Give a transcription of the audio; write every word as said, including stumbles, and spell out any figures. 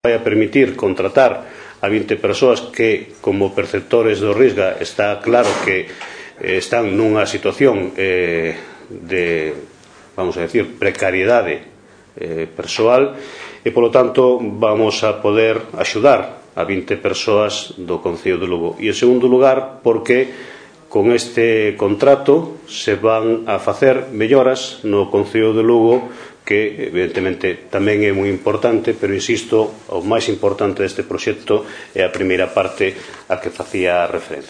vai a permitir contratar a vinte persoas que, como perceptores do Risga, está claro que eh, están nunha situación eh, de, vamos a decir, precariedade eh, persoal, e, polo tanto, vamos a poder axudar a vinte persoas do Concello de Lugo. E, en segundo lugar, porque con este contrato se van a facer melloras no Concello de Lugo que, evidentemente, tamén é moi importante, pero, insisto, o máis importante deste proxecto é a primeira parte a que facía referencia.